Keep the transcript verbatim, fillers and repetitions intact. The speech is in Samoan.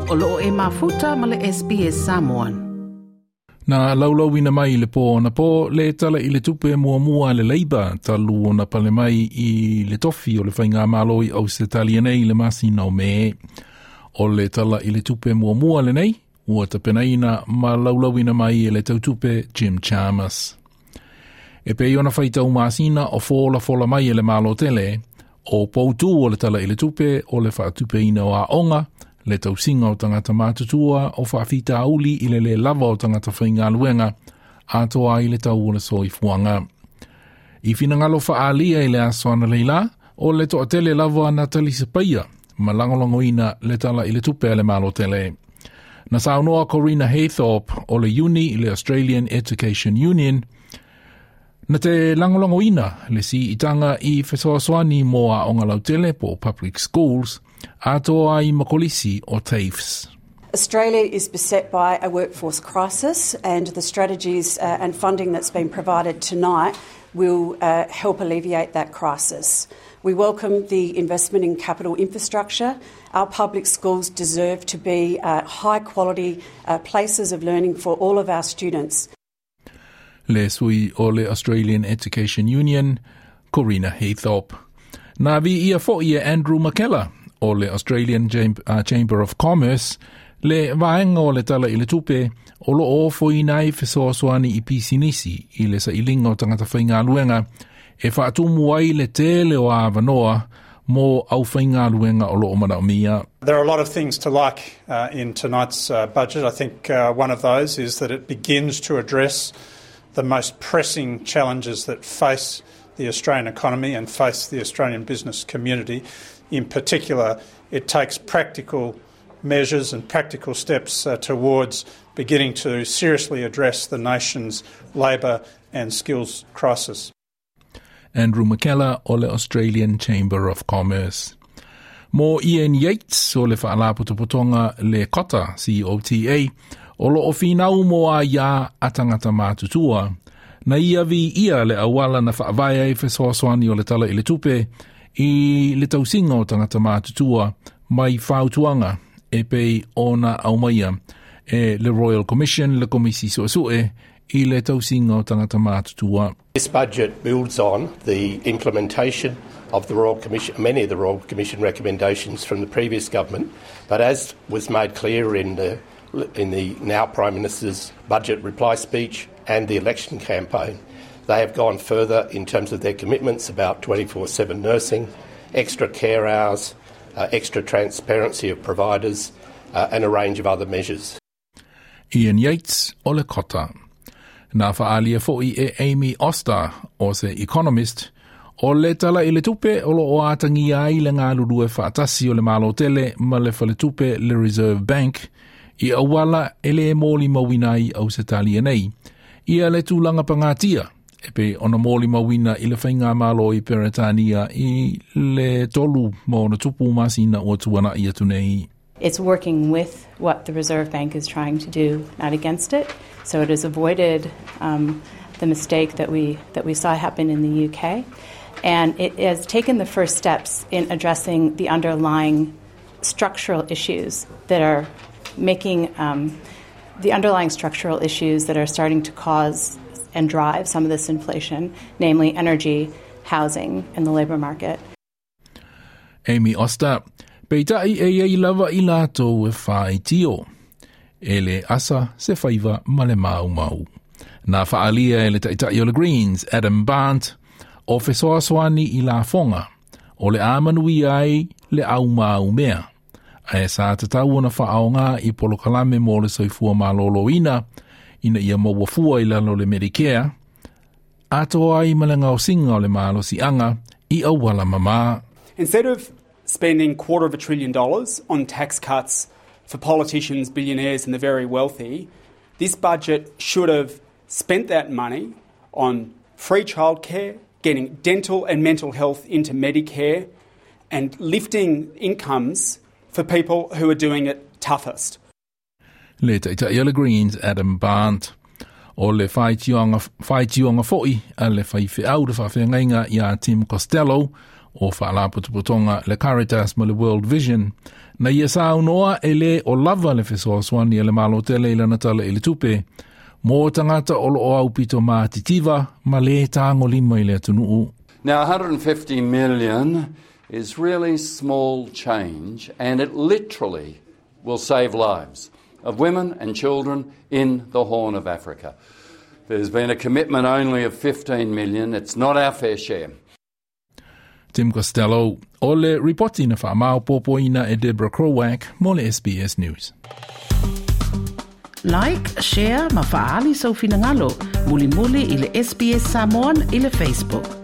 O loo e mafuta ma le S B S Samoan. Na laulauina mai le pō na pō le tala i le tupe muamua le Labour talu ona pale mai i le tofi o le faigamalo i Ausetalia nei le masina o Me. O le tala i le tupe muamua lenei, ua tapenaina ma laulauina mai e le tautupe Jim Chalmers. E pei ona faitau masina o fola fola mai e le malo tele, o poutū o le tala i le tupe o le faatupeina o aoga, le tausiga o tagata matutua o faafitauli i le le lava o tagata faigaluega, atoa ai le tau o le soifuaga. I finagalo faaalia i le aso analeila, o le toatele lava na talisapaia ma lagolagoina le tala i le tupe a le malo tele. Na saunoa Corina Haythorpe o le Uni, le Australian Education Union, na te lagolagoina le siitaga i fesoasoani mo aoga lautele po public schools, atoa ai ma kolisi o TAFEs. Australia is beset by a workforce crisis, and the strategies uh, and funding that's been provided tonight will uh, help alleviate that crisis. We welcome the investment in capital infrastructure. Our public schools deserve to be uh, high quality uh, places of learning for all of our students. Le sui o le Australian Education Union, Corina Haythorpe. Na viia fo'i e Andrew McKellar o le Australian uh, Chamber of Commerce le vaega o le tala i le tupe o lo o ofoina ai fesoasoani i pisinisi i le sailiga o tagata faigaluega e faatumu ai le tele o avanoa mo aufaigaluega o lo o manaomia. There are a lot of things to like uh, in tonight's uh, budget. I think uh, one of those is that it begins to address the most pressing challenges that face the Australian economy and face the Australian business community. In particular, it takes practical measures and practical steps uh, towards beginning to seriously address the nation's labour and skills crisis. Andrew McKellar o le Australian Chamber of Commerce. Mo Ian Yates o le Faalapotopotoga le COTA, C O T A, o lo o finau mo aiā a tagata matutua. Na ia viia le auala na faavae ai fesoasoani o le tala i le tupe i le tausiga o tagata matutua mai fautuaga e pei ona aumaia e le Royal Commission, le Komisi Suesue i le tausiga o tagata matutua. This budget builds on the implementation of the Royal Commission, many of the Royal Commission recommendations from the previous government, but as was made clear in the, in the now Prime Minister's budget reply speech and the election campaign, they have gone further in terms of their commitments about twenty-four seven nursing, extra care hours, uh, extra transparency of providers, uh, and a range of other measures. Ian Yates o le COTA. Na faaalia fo'i e Amy Oster o se economist o le tala i le tupe o lo o atagia ai le galulue faatasi o le malo tele ma le faletupe le Reserve Bank i auala e le molimauina ai Ausetalia nei. Ia le tulaga pagatia e pei ona molimauina i le faigamalo i Peretania i le tolu ma ona tupu masina ua tuana'i atu nei. It's working with what the Reserve Bank is trying to do, not against it. So it has avoided um, the mistake that we, that we saw happen in the U K. And it has taken the first steps in addressing the underlying structural issues that are making um, the underlying structural issues that are starting to cause and drive some of this inflation, namely energy, housing, and the labor market. Amy Oster, peitai e iai lava i latou e faitio. E le asa se faiva ma le maumau. Na faalia e le taitai o le Greens, Adam Bandt, o fesoasoani i lafoga, o le a manuia ai le aumaumea. Ae sa tatau ona faaaoga i polokalame mo le soifua maloloina, ina ia maua fua i lalo le Medicare, atoa ai ma le gaosiga o le malosiaga i auala mamā. Instead of spending quarter of a trillion dollars on tax cuts for politicians, billionaires, and the very wealthy, this budget should have spent that money on free childcare, getting dental and mental health into Medicare, and lifting incomes for people who are doing it toughest. Le taitai o le Greens, Adam Bandt. O le faitioga, faitioga fo'i a le faifeau le faafeagaiga ia Tim Costello. O faalapotopotoga le Caritas ma le World Vision na ia saunoa e lē o lava le fesoasoani a le Malo tele i lana Tala i le Tupe mo tagata o loo aupito matitiva ma lē tagolima i le atunuu. Now, one hundred fifty million is really small change, and it literally will save lives of women and children in the Horn of Africa. There's been a commitment only of fifteen million. It's not our fair share. Tim Costello o le ripoti na faamaopoopoina e Deborah Crowak mo le S B S News. Like, share ma faaali sou finagalo. Mulimuli i le S B S Samoan i le Facebook.